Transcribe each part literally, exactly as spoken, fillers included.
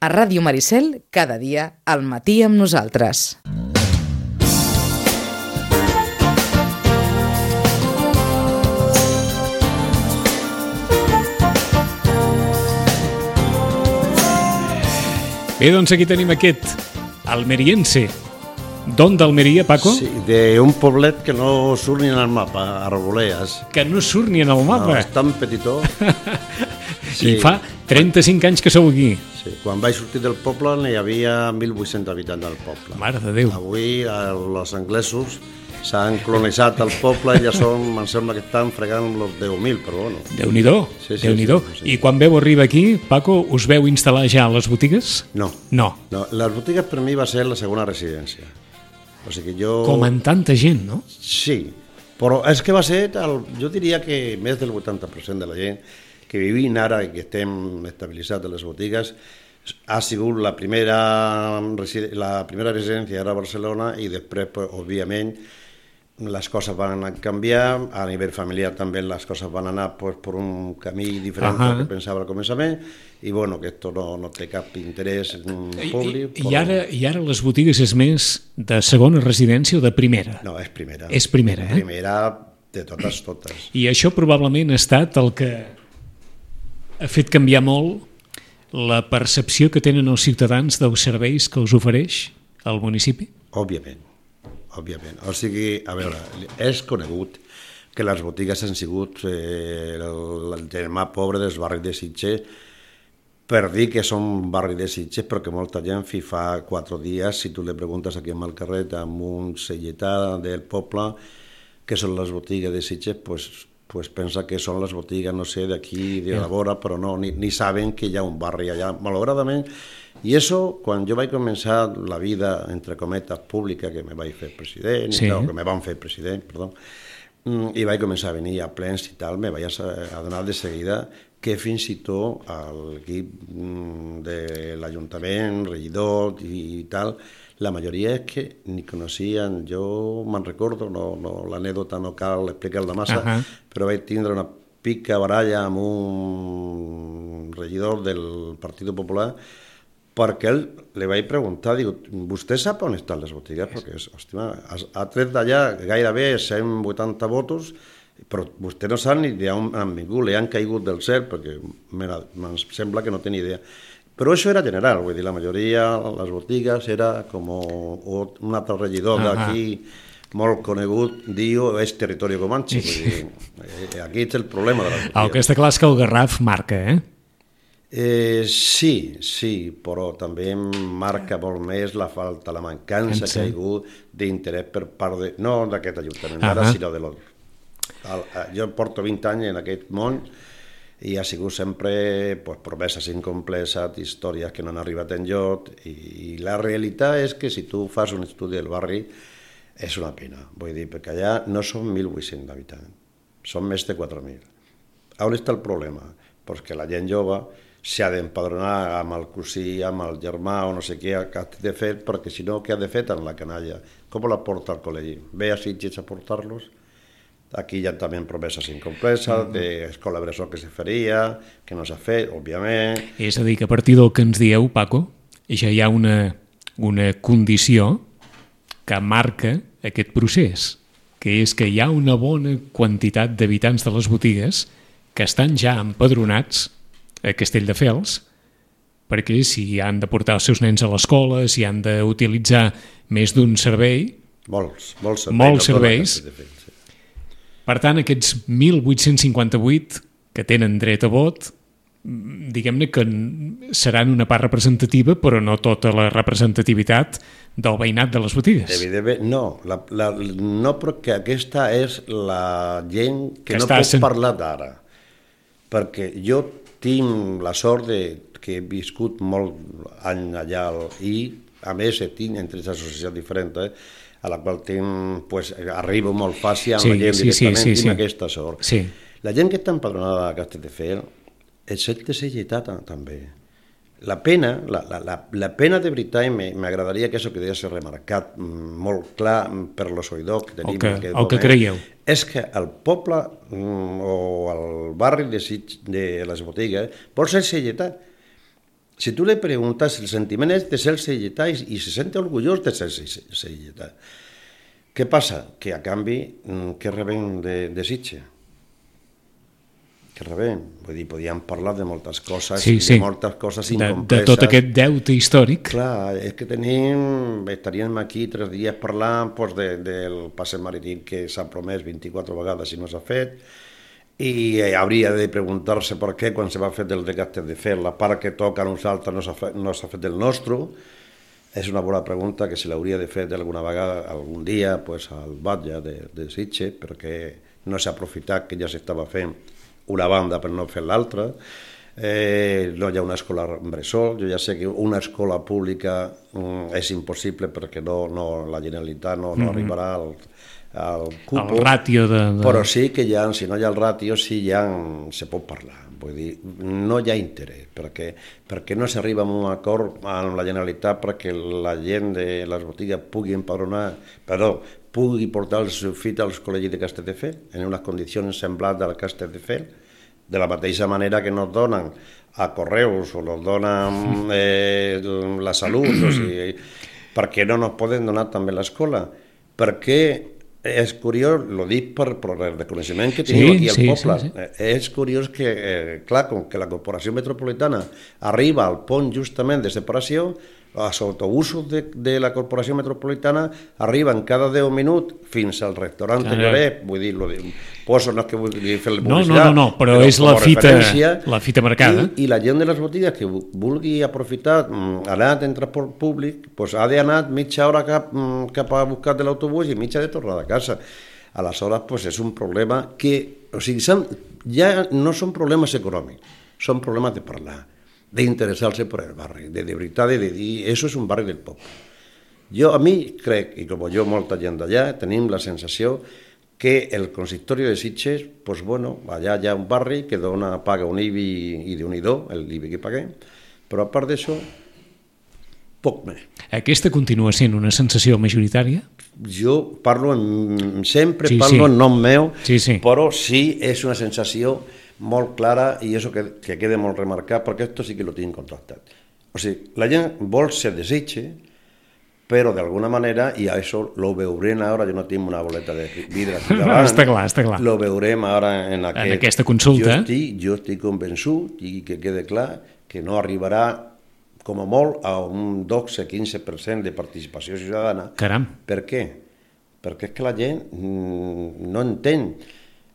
A Ràdio Maricel, cada dia, al matí amb nosaltres. Bé, doncs aquí tenim aquest almeriense. D'on d'Almeria, Paco? Sí, d'un poblet que no surt ni en el mapa, Arboleas. Que no surt ni en el mapa. No, és tan petitó. Sí. I fa trenta-cinc anys que sou aquí. Sí, quan vaig sortir del poble n'hi havia mil vuit-cents habitants al poble. Mare de Déu. Avui els anglesos s'han colonitzat el poble i ja són, em sembla que estan fregant els deu mil, però bueno. Déu-n'hi-do, sí, sí, Déu-n'hi-do. Sí, sí. I quan veu arribar aquí, Paco, us veu instal·lar ja a les botigues? No. No. No, les botigues per mi va ser la segona residència. O sigui que jo... Com en tanta gent, no? Sí, però és que va ser, el, jo diria que més del vuitanta per cent de la gent que vivim ara i que estem estabilitzats a les botigues ha sigut la primera, la primera residència era a Barcelona i després, pues, òbviament, les coses van canviar, a nivell familiar també les coses van anar pues, per un camí diferent del que pensava al començament i bueno, que esto no, no té cap interès públic. I, i, ara, I ara les botigues és més de segona residència o de primera? No, és primera. És primera, eh? Primera de totes, totes. I això probablement ha estat el que ha fet canviar molt la percepció que tenen els ciutadans dels serveis que els ofereix el municipi? Òbviament. Òbviament. O sigui, a veure, és conegut que les botigues han sigut eh, el, el germà pobre dels barris de Sitges per dir que són barri de Sitges, però que molta gent fi fa quatre dies, si tu li preguntes aquí al carrer amb un celletà del poble que són les botigues de Sitges, pues, pues pensa que són les botigues, no sé, d'aquí, de la vora, però no, ni, ni saben que hi ha un barri allà, malauradament. I això, quan jo vaig començar la vida, entre cometes, pública, que me vaig fer president, sí. i tal, que me van fer president, perdó, i vaig començar a venir a plens i tal, me vaig adonar de seguida que fins i tot l'equip de l'Ajuntament, regidor i tal, la majoria és que ni coneixien, jo me'n recordo, no, no, l'anèdota no cal explicar-la massa, uh-huh. però vaig tindre una pica baralla amb un regidor del Partit Popular perquè ell li vaig preguntar, diu, vostè sap on estan les botigues? Perquè, hòstia, ha tret d'allà gairebé cent vuitanta votos, però vostè no sap ni d'on han vingut, li han caigut del cel, perquè em sembla que no té ni idea. Però això era general, vull dir, la majoria, les botigues, era com un altre regidor d'aquí, molt conegut, diu, és territori comanche, vull dir, aquí és el problema de les botigues. El que està clar és que el Garraf marca, eh? Eh, sí, sí, però també marca molt més la falta, la mancança que hi ha hagut d'interès per part de, no d'aquest ajuntament, uh-huh. ara, sinó de l'altre. Jo porto vint anys en aquest món i ha sigut sempre pues, promeses incompletes, històries que no han arribat enlloc i, i la realitat és que si tu fas un estudi del barri és una pena, vull dir, perquè allà no són mil vuit-cents habitants, són més de quatre mil. On està el problema? Perquè la gent jove s'ha d'empadronar amb el cosí, amb el germà o no sé què ha de fer, perquè si no, què ha de fer amb la canalla? Com la porta al col·legi? Ve a Sitges a portar-los? Aquí hi ha també promeses incompletes, mm-hmm. d'escola bressol que se faria, que no s'ha fet, òbviament. És a dir, que a partir del que ens dieu, Paco, ja hi ha una, una condició que marca aquest procés, que és que hi ha una bona quantitat d'habitants de les botigues que estan ja empadronats a Castelldefels, perquè si han de portar els seus nens a l'escola, si han d'utilitzar més d'un servei, molts, molts serveis, molts serveis. Per tant, aquests mil vuit-cents cinquanta-vuit que tenen dret a vot, diguem-ne que seran una part representativa, però no tota la representativitat del veïnat de les botigues. Evidentment, no. La, la, no, perquè aquesta és la gent que, que no pot sent... parlar d'ara. Perquè jo tinc la sort de que he viscut molt any allà i, a més, tinc entre les associacions diferents, eh, a la qual tinc, pues, arribo molt fàcil amb sí, la gent sí, directament, sí, sí, tinc sí. aquesta sort. Sí. La gent que està empadronada a Castelldefels, excepte Selletà també. La pena, la, la, la pena de veritat, i m'agradaria que això quedés remarcat molt clar per los oïdors que tenim. El que, el que creieu. És que el poble o el barri de, de les botigues vol ser Selletà. si tu li preguntes, el sentiment és de ser seietà i, i se sent orgullós de ser seietà. Què passa? Que a canvi, què rebem de, de Sitges? Què rebem? Vull dir, podíem parlar de moltes coses, sí, sí. de moltes coses incompreses. De, de tot aquest deute històric. Clar, és que tenim, estaríem aquí tres dies parlant pues, de, del passeig marítim que s'ha promès vint-i-quatre vegades i no s'ha fet, i hauria de preguntar-se per què quan se va fer del de Castelldefels, la part que toca a nosaltres no s'ha fet, no s'ha fet del nostre. És una bona pregunta que se l'hauria de fer alguna vegada, algun dia, pues, al batlle de, de Sitges, perquè no s'ha aprofitat que ja s'estava fent una banda per no fer l'altra. Eh, no hi ha una escola bressol. Jo ja sé que una escola pública mm, és impossible perquè no, no, la Generalitat no, no mm-hmm. arribarà al, al cupo. El ràtio de, de... Però sí que hi ha, si no hi ha el ràtio, sí hi ha, se pot parlar. Vull dir, no hi ha interès, perquè, perquè no s'arriba a un acord amb la Generalitat perquè la gent de les botigues pugui empadronar, perdó, pugui portar el seu fill als col·legis de Castelldefels en unes condicions semblants al Castelldefels, de la mateixa manera que nos donen a Correus o nos donen eh, la Salut, o sigui, per què no nos poden donar també l'escola? Perquè és curiós, lo dic per, per el reconeixement que tenim sí, aquí al sí, poble, sí, sí. És curiós que, eh, clar, com que la Corporació Metropolitana arriba al pont justament de separació, els autobusos de, de la Corporació Metropolitana arriben cada deu minuts fins al restaurant de Lloret, vull dir, lo de, poso, no és que vulgui fer la publicitat, no, no, no, no, però, però és la fita, la fita marcada. I, I la gent de les botigues que vulgui aprofitar, anar en transport públic, pues ha d'anar mitja hora cap, cap a buscar de l'autobús i mitja de tornar a casa. Aleshores, pues és un problema que, o sigui, ja no són problemes econòmics, són problemes de parlar, d'interessar-se per el barri, de, de veritat, de dir, això és un barri del poble. Jo, a mi, crec, i com jo, molta gent d'allà, tenim la sensació que el consistori de Sitges, pues bueno, allà hi ha un barri que dona, paga un I B I i d'un I D O, el I B I que paguem, però a part d'això, poc més. Aquesta continua sent una sensació majoritària? Jo parlo, en, sempre sí, parlo sí. en nom meu, sí, sí. però sí és una sensació molt clara i això que, que quede molt remarcat, perquè esto sí que lo tinc contractat. O sigui, la gent vol ser de Sitges, però d'alguna manera, i això lo veurem ara, jo no tinc una boleta de vidre aquí davant, està clar, està clar. Lo veurem ara en, aquest, en aquesta consulta. Jo estic, jo estic convençut, i que quede clar, que no arribarà com a molt a un dotze a quinze per cent de participació ciutadana. Caram. Per què? Perquè és que la gent no entén.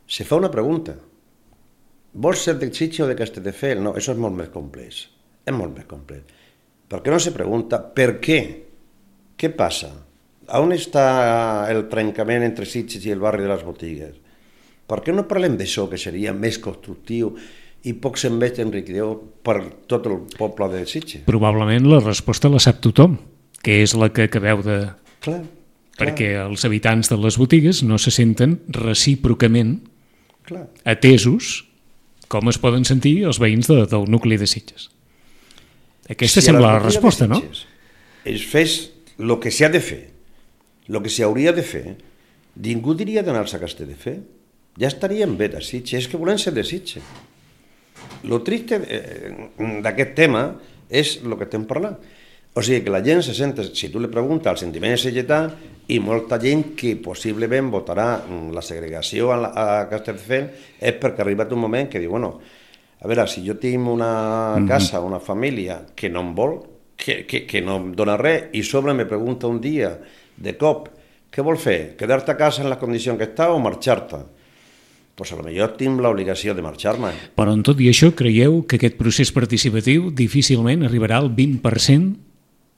Se fa una pregunta. Vols ser de Sitges o de Castelldefels? No, això és molt més complex. És molt més complex. Perquè no se pregunta per què. Què passa? On està el trencament entre Sitges i el barri de les botigues? Per què no parlem d'això, que seria més constructiu i poc se'n veig enriquidor per tot el poble de Sitges? Probablement la resposta la sap tothom, que és la que acabeu de... Clar, perquè clar. Els habitants de les botigues no se senten recíprocament clar. Atesos com es poden sentir els veïns de, del nucli de Sitges. Aquesta si sembla la resposta, no? Es fes el que s'ha de fer, el que s'hauria de fer, ningú diria d'anar-se a Castelldefels. Ja estaríem bé de Sitges, és que volem ser de Sitges. El triste d'aquest tema és el que estem parlant. O sigui, que la gent se sent, si tu li preguntes el sentiment sitgetà, i molta gent que possiblement votarà la segregació a, a Castelldefels és perquè ha arribat un moment que diu, bueno, a veure, si jo tinc una casa, una família que no em vol, que, que, que no em dona res, i sobre me pregunta un dia, de cop, què vol fer? Quedar-te a casa en la condició que està o marxar-te? Pues a lo millor tinc l'obligació de marxar-me. Però en tot i això, creieu que aquest procés participatiu difícilment arribarà al vint per cent?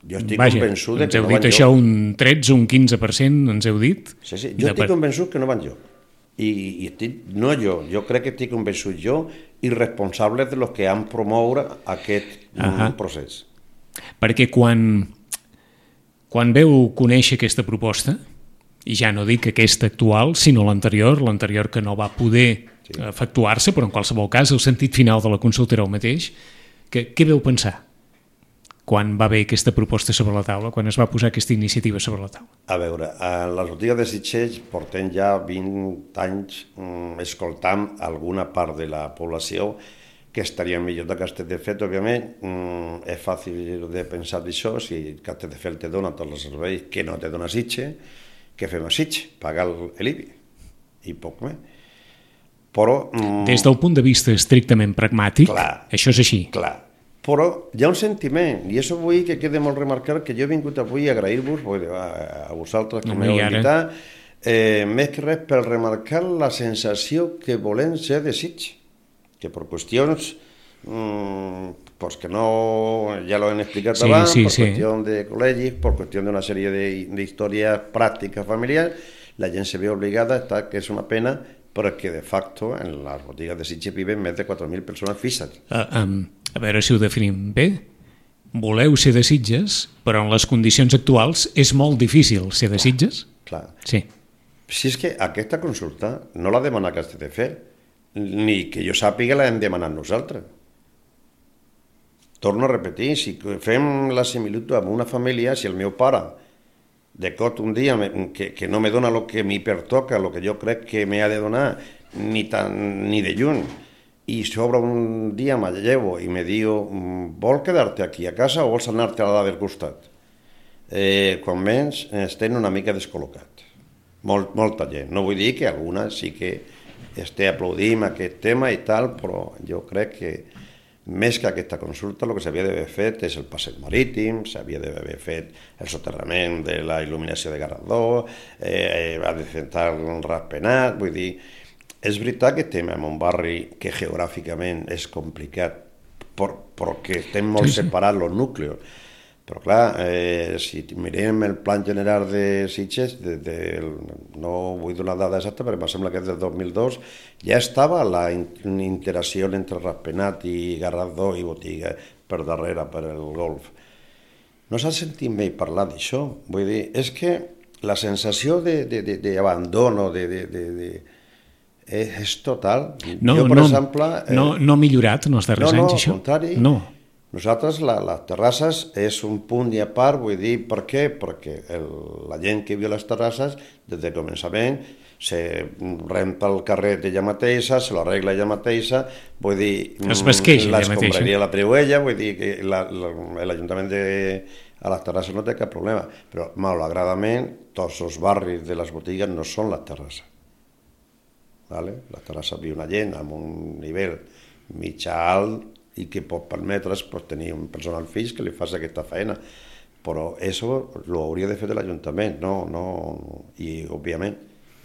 Jo estic Vaja, convençut de que no van jo. Ens heu dit això un tretze, un quinze per cent, ens heu dit? Sí, sí, jo estic convençut que no van jo. I, i estic, no jo, jo crec que estic convençut jo i responsables de los que han promoure aquest uh-huh. procés. Perquè quan, quan veu conèixer aquesta proposta, i ja no dic aquesta actual, sinó l'anterior, l'anterior que no va poder sí. efectuar-se, però en qualsevol cas el sentit final de la consulta era el mateix, que, què veu pensar quan va haver aquesta proposta sobre la taula, quan es va posar aquesta iniciativa sobre la taula? A veure, a les botigues de Sitges portem ja vint anys mm, escoltant alguna part de la població que estaria millor de Castelldefels, òbviament. Mm, és fàcil de pensar d'això, si Castelldefels te dona tots els serveis que no te dona Sitges, què fem a Sitges? Pagar l'I B I i poc més. Però... Mm, des del punt de vista estrictament pragmàtic, clar, això és així. Clar, però hi ha un sentiment, i això vull que quede molt remarcat, que jo he vingut avui a agrair-vos a, a vosaltres que m'heu invitat, eh, més que res per remarcar la sensació que volem ser de Sitges, que per qüestions mmm, pues que no, ja l'ho hem explicat sí, abans, sí, per sí. qüestió de col·legis, per qüestió d'una sèrie d'històries pràctiques familiars, la gent se ve obligada a estar, que és una pena, perquè de facto en les botigues de Sitges viven més de quatre mil persones fixes. Uh, um, a veure si ho definim bé. Voleu ser de Sitges, però en les condicions actuals és molt difícil ser de Sitges? Clar. Sí. Si és que aquesta consulta no la demana Castelldefels, ni que jo sàpiga la hem demanat nosaltres. Torno a repetir, si fem la similitud amb una família, si el meu pare de cot un dia que, que no me dona el que m'hi pertoca, el que jo crec que m'ha de donar, ni, tan, ni de lluny, i sobre un dia me llevo i me diu, vol quedar-te aquí a casa o vols anar-te a la del costat? Eh, quan menys estem una mica descol·locats. Molt, molta gent. No vull dir que alguna sí que esté aplaudint aquest tema i tal, però jo crec que més que aquesta consulta, el que s'havia d'haver fet és el passeig marítim, s'havia d'haver fet el soterrament de la il·luminació de Garradó, eh, ha de sentar un raspenat, vull dir, és veritat que estem en un barri que geogràficament és complicat, per, perquè estem molt sí, sí. separats els nucleos, però clar, eh, si mirem el plan general de Sitges, de, de, no vull donar dada exacta, però em sembla que és del dos mil dos, ja estava la interacció entre Ratpenat i Garradó i Botiga per darrere, per el golf. No s'ha sentit mai parlar d'això. Vull dir, és que la sensació d'abandono, de, de, de, de, de, és total. No, jo, per no, exemple, eh, no, no ha millorat en els darrers no, anys, això? No, al contrari. No. Nosaltres, la, les terrasses és un punt i a part, vull dir, per què? Perquè el, la gent que viu a les terrasses, des del començament, se renta el carret ella mateixa, se l'arregla ella mateixa, vull dir, l'escombraria la treu ella, vull dir que l'Ajuntament de a les terrasses no té cap problema, però malauradament tots els barris de les botigues no són les terrasses. Vale? Les terrasses viu una gent amb un nivell mitjà alt i que pot permetre's pues, tenir un personal fix que li faci aquesta feina. Però això ho hauria de fer de l'Ajuntament, no, no, i òbviament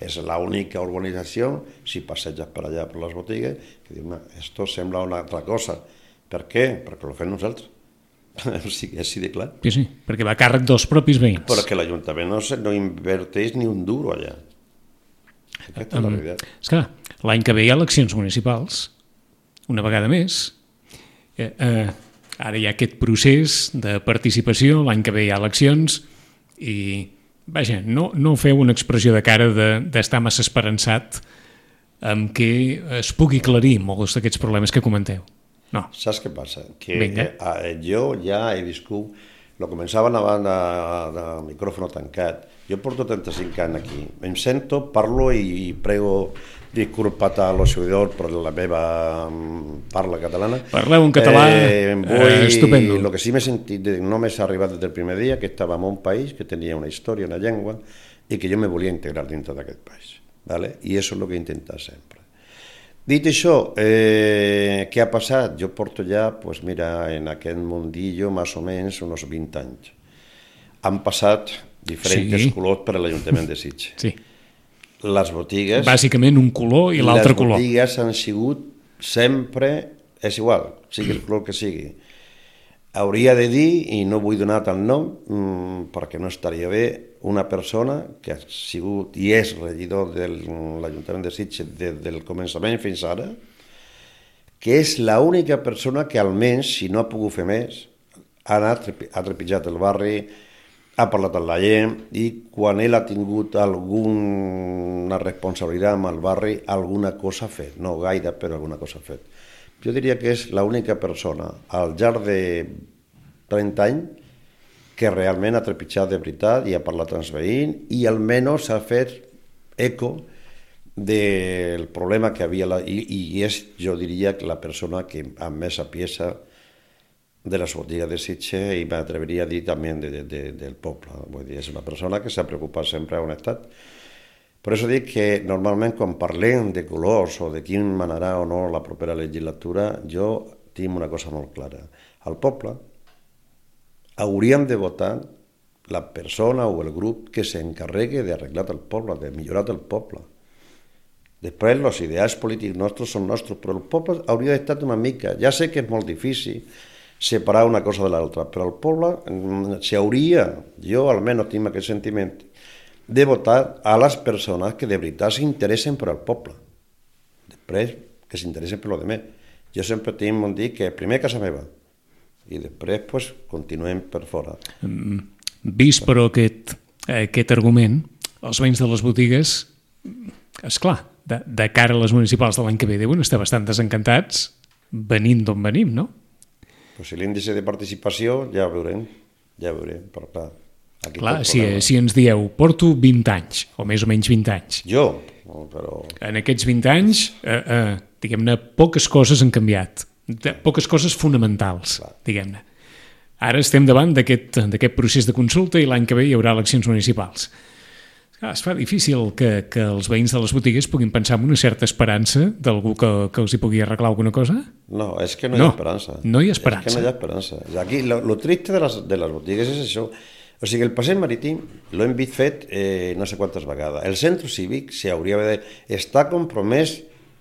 és l'única urbanització, si passeges per allà per les botigues, que diu, esto sembla una altra cosa. Per què? Perquè ho fem nosaltres. O sigui, així de clar. Sí, sí, perquè va a càrrec dels propis veïns. Perquè l'Ajuntament no, no inverteix ni un duro allà. Aquesta és la veritat. És clar, l'any que ve hi ha eleccions municipals, una vegada més. Eh, eh, ara hi ha aquest procés de participació, l'any que ve hi ha eleccions i, vaja, no, no feu una expressió de cara d'estar de, massa esperançat amb què es pugui aclarir molts d'aquests problemes que comenteu. No. Saps què passa? Que eh, jo ja he viscut, lo començaven abans de, de micròfon tancat, jo porto trenta-cinc anys aquí, em sento, parlo i prego disculpat a los seguidors per la meva parla catalana. Parleu en català, eh, vull, eh, estupendo. El que sí m'he sentit, no m'he arribat des del primer dia, que estava en un país que tenia una història, una llengua, i que jo me volia integrar dintre d'aquest país. ¿Vale? I això és el que he intentat sempre. Dit això, eh, què ha passat? Jo porto ja, pues mira, en aquest mundillo, més o menys, uns vint anys. Han passat diferents sí. colors per a l'Ajuntament de Sitges. Sí. Les botigues... Bàsicament un color i l'altre color. Les botigues han sigut sempre... És igual, sigui el color que sigui. Hauria de dir, i no vull donar el nom, mmm, perquè no estaria bé, una persona que ha sigut i és regidor de l'Ajuntament de Sitges des del començament fins ara, que és l'única persona que almenys, si no ha pogut fer més, ha anat, ha trepitjat el barri, ha parlat amb la gent i quan ell ha tingut alguna responsabilitat amb el barri, alguna cosa ha fet, no gaire, però alguna cosa ha fet. Jo diria que és l'única persona al llarg de trenta anys que realment ha trepitjat de veritat i ha parlat amb els veïns i almenys ha fet eco del problema que havia, la, i, i és, jo diria, que la persona que amb més sapiesa de les botigues de Sitges, i m'atreveria a dir també de, de, de, del poble. Vull dir, és una persona que s'ha preocupat sempre on ha estat. Per això dic que normalment quan parlem de colors o de qui manarà o no la propera legislatura, jo tinc una cosa molt clara. Al poble hauríem de votar la persona o el grup que s'encarregui d'arreglar el poble, de millorar el poble. Després, els ideals polítics nostres són nostres, però el poble hauria d'estar una mica... Ja sé que és molt difícil separar una cosa de l'altra, però el poble s'hauria, jo almenys tinc aquest sentiment, de votar a les persones que de veritat s'interessen per al poble. Després, que s'interessen per lo demés. Jo sempre tinc un dir que primer casa meva i després pues, continuem per fora. Mm, vist, però, aquest, aquest argument, els veïns de les botigues, esclar, de, de cara a les municipals de l'any que ve deuen estar bastant desencantats venint d'on venim, no? Pues si l'índice de participació ja ho veurem, ja ho veurem, però clar... Clar, si, si ens dieu, porto vint anys, o més o menys vint anys. Jo, però... En aquests vint anys, eh, eh, diguem-ne, poques coses han canviat. Poques coses fonamentals, clar, diguem-ne. Ara estem davant d'aquest procés de consulta i l'any que ve hi haurà eleccions municipals. Clar, es fa difícil que, que els veïns de les botigues puguin pensar en una certa esperança d'algú que, que els hi pugui arreglar alguna cosa? No, és que no, no hi ha esperança. No hi ha esperança. És que no hi ha esperança. Aquí, lo, lo triste de les, de les botigues és això. O sigui, el passeig marítim l'hem vist fet eh, no sé quantes vegades. El centre cívic s'hauria d'estar compromès,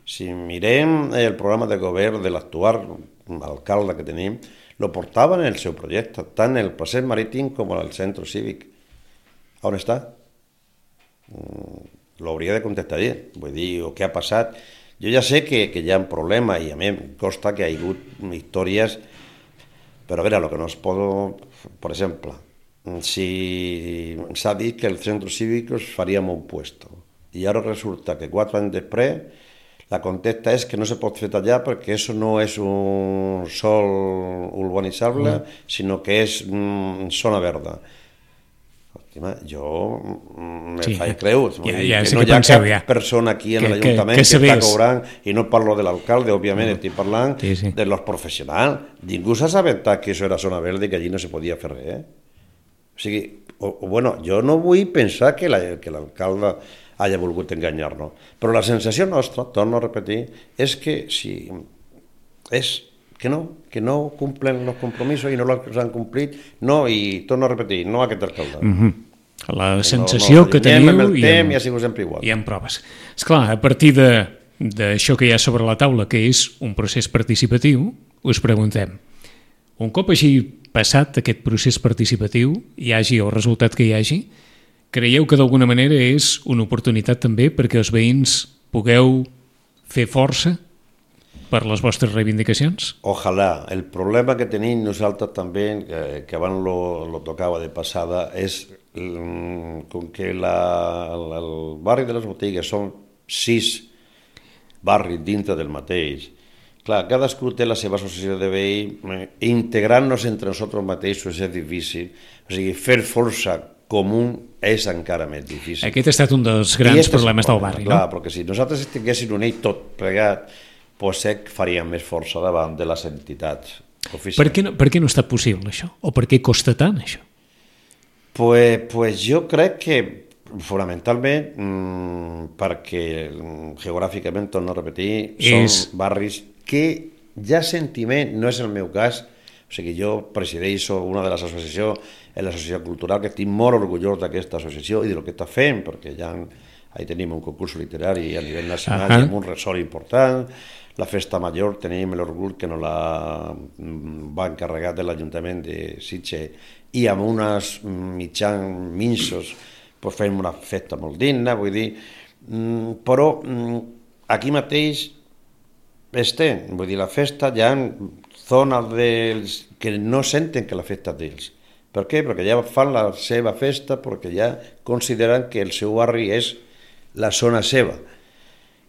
si mirem el programa de govern de l'actual alcalde que tenim, lo portaven en el seu projecte, tant el passeig marítim com el centre cívic. On està? L'hauria de contestar ell, vull dir, o què ha passat. Jo ja sé que, que hi ha un problema i a mi em costa que hi ha hagut històries, però a veure, el que no es pot, per exemple, si s'ha dit que el centre cívic faria un puesto i ara resulta que quatre anys després la contesta és que no se pot fer allà perquè això no és un sòl urbanitzable, mm. sinó que és mm, zona verda. Jo me sí, faig creure ja, ja, que no hi ha penseu, cap ja. persona aquí en l'Ajuntament que, que, que, que està cobrant, i no parlo de l'alcalde, òbviament, mm. estic parlant sí, sí. de los professionals. Ningú s'ha assabentat que això era zona verda i que allí no se podia fer res, eh? O sigui, o, o, bueno, jo no vull pensar que l'alcalde hagi volgut enganyar-nos, però la sensació nostra, torno a repetir, és que si és que no, que no cumplen els compromisos i no els han complit, no, i torno a repetir, no aquest alcalde. Mm-hmm. La sensació no, no, que teniu amb el i, amb, i, ha sigut sempre igual. I amb proves. Esclar, a partir d'això que hi ha sobre la taula, que és un procés participatiu, us preguntem, un cop hagi passat aquest procés participatiu, hi hagi el resultat que hi hagi, creieu que d'alguna manera és una oportunitat també perquè els veïns pugueu fer força per les vostres reivindicacions? Ojalà. El problema que tenim nosaltres també, que, que abans lo, lo tocava de passada, és com que la, el barri de les botigues són sis barris dintre del mateix. Clar, cadascú té la seva associació de veïns, integrant-nos entre nosaltres mateixos és difícil, o sigui, fer força comú és encara més difícil. Aquest ha estat un dels grans problemes del barri, no? Clar, perquè si nosaltres estiguéssim units tot plegat, potser faríem més força davant de les entitats oficials. Per què no, per què no ha estat possible això? O per què costa tant això? Pues, pues jo crec que fonamentalment mmm, perquè geogràficament, torno a repetir, és... són barris que ja sentiment, no és el meu cas, o sigui, jo presideixo una de les associacions, l'associació cultural, que estic molt orgullós d'aquesta associació i del que està fent, perquè ja ahí tenim un concurs literari a nivell nacional, uh-huh. i amb un ressort important. La festa major tenim l'orgull que nos la va encarregar de l'Ajuntament de Sitges i amb uns mitjans minsos pues fem una festa molt digna, vull dir, però aquí mateix estem, vull dir, la festa hi ha zones dels que no senten que la festa és d'ells. Per què? Perquè ja fan la seva festa, perquè ja consideren que el seu barri és la zona seva.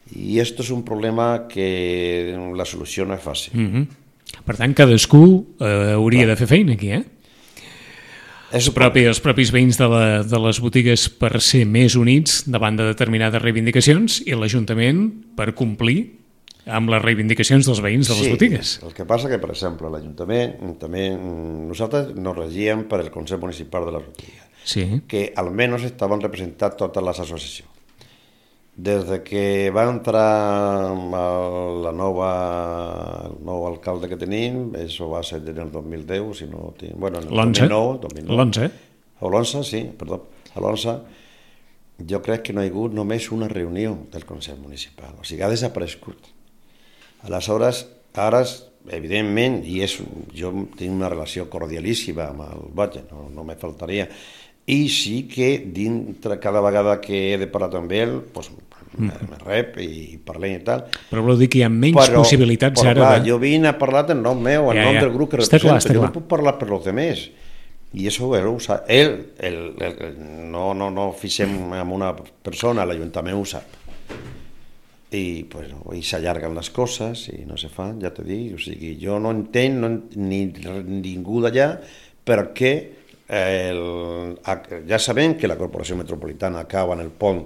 I això és un problema que la solució no és fàcil. Mm-hmm. Per tant, cadascú eh, hauria Clar. de fer feina aquí, eh? els, propi, els propis veïns de, la, de les botigues per ser més units davant de determinades reivindicacions i l'Ajuntament per complir amb les reivindicacions dels veïns de les sí, botigues. El que passa que, per exemple, l'Ajuntament també, nosaltres nos regíem per el Consell Municipal de les botigues, sí. que almenys estaven representats totes les associacions. Des de que va entrar la nova, el nou alcalde que tenim, això va ser en el dos mil deu, si no tinc... Bueno, en el l'onze? dos mil nou. L'onze? O l'onze, sí, perdó. A l'onze jo crec que no hi ha hagut només una reunió del Consell Municipal, o sigui, ha desaparegut. Aleshores, ara, evidentment, i és, jo tinc una relació cordialíssima amb el Batlle, no, no me faltaria, i sí que dintre cada vegada que he de parlar amb ell, doncs, me, me rep i parlem i tal. Però vol dir que hi ha menys però, possibilitats però, ara... Clar, de... jo vinc a parlar en nom meu, en ja, nom ja. del grup que està represento, clar, està jo clar. no puc parlar per los demés. I això ell ho sap. Ell, el, el, no, no, no fixem en una persona, l'Ajuntament ho sap. I, pues, i s'allarguen les coses i no se fan, ja t'he dit. O sigui, jo no entenc no, ni ningú d'allà perquè el, ja sabem que la Corporació Metropolitana acaba en el pont,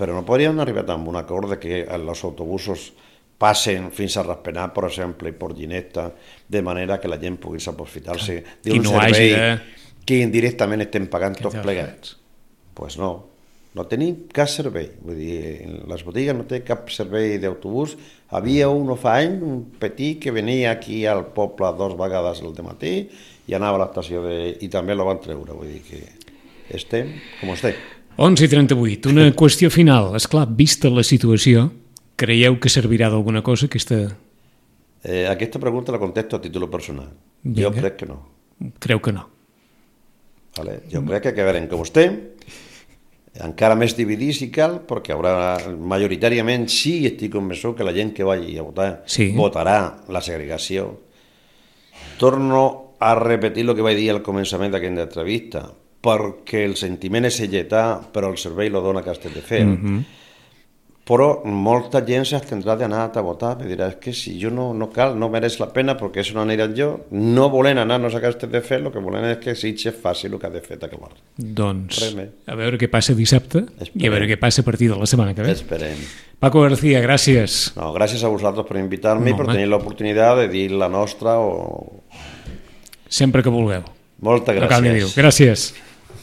però no podríem arribar a un acord de que els autobusos passen fins a Raspenar, per exemple, i per Ginesta, de manera que la gent pugui aprofitar-se d'un no servei de... que indirectament estem pagant tots plegats. Doncs pues no, no tenim cap servei. Vull dir, les botigues no té cap servei d'autobús. Havia un fa anys, un petit, que venia aquí al poble dos vegades al dematí i anava a l'estació de... i també la van treure. Vull dir que estem com estem. onze i trenta-vuit. Una qüestió final. Esclar, vista la situació, creieu que servirà d'alguna cosa aquesta... Eh, aquesta pregunta la contesto a títol personal. Vinga. Jo crec que no. Creu que no. Vale? Jo crec que acabarem com estem, encara més dividits si cal, perquè haurà, majoritàriament sí estic convençut que la gent que vagi a votar sí. votarà la segregació. Torno a repetir el que vaig dir al començament d'aquesta entrevista, perquè el sentiment és lletà, però el servei lo dona Castelldefels. Mm-hmm. Però molta gent s'abstendrà d'anar a votar, me dirà, és que si jo no, no cal, no mereix la pena, perquè això no aniran jo, no volen anar-nos a Castelldefels, el que volen és que Sitges faci el que ha de fet acabar. Doncs, a veure què passa dissabte Esperem. I a veure què passa a partir de la setmana que ve. Esperem. Paco García, gràcies. No, gràcies a vosaltres per invitar-me i no, per tenir l'oportunitat de dir la nostra o... Sempre que vulgueu. Moltes gràcies. Gràcies.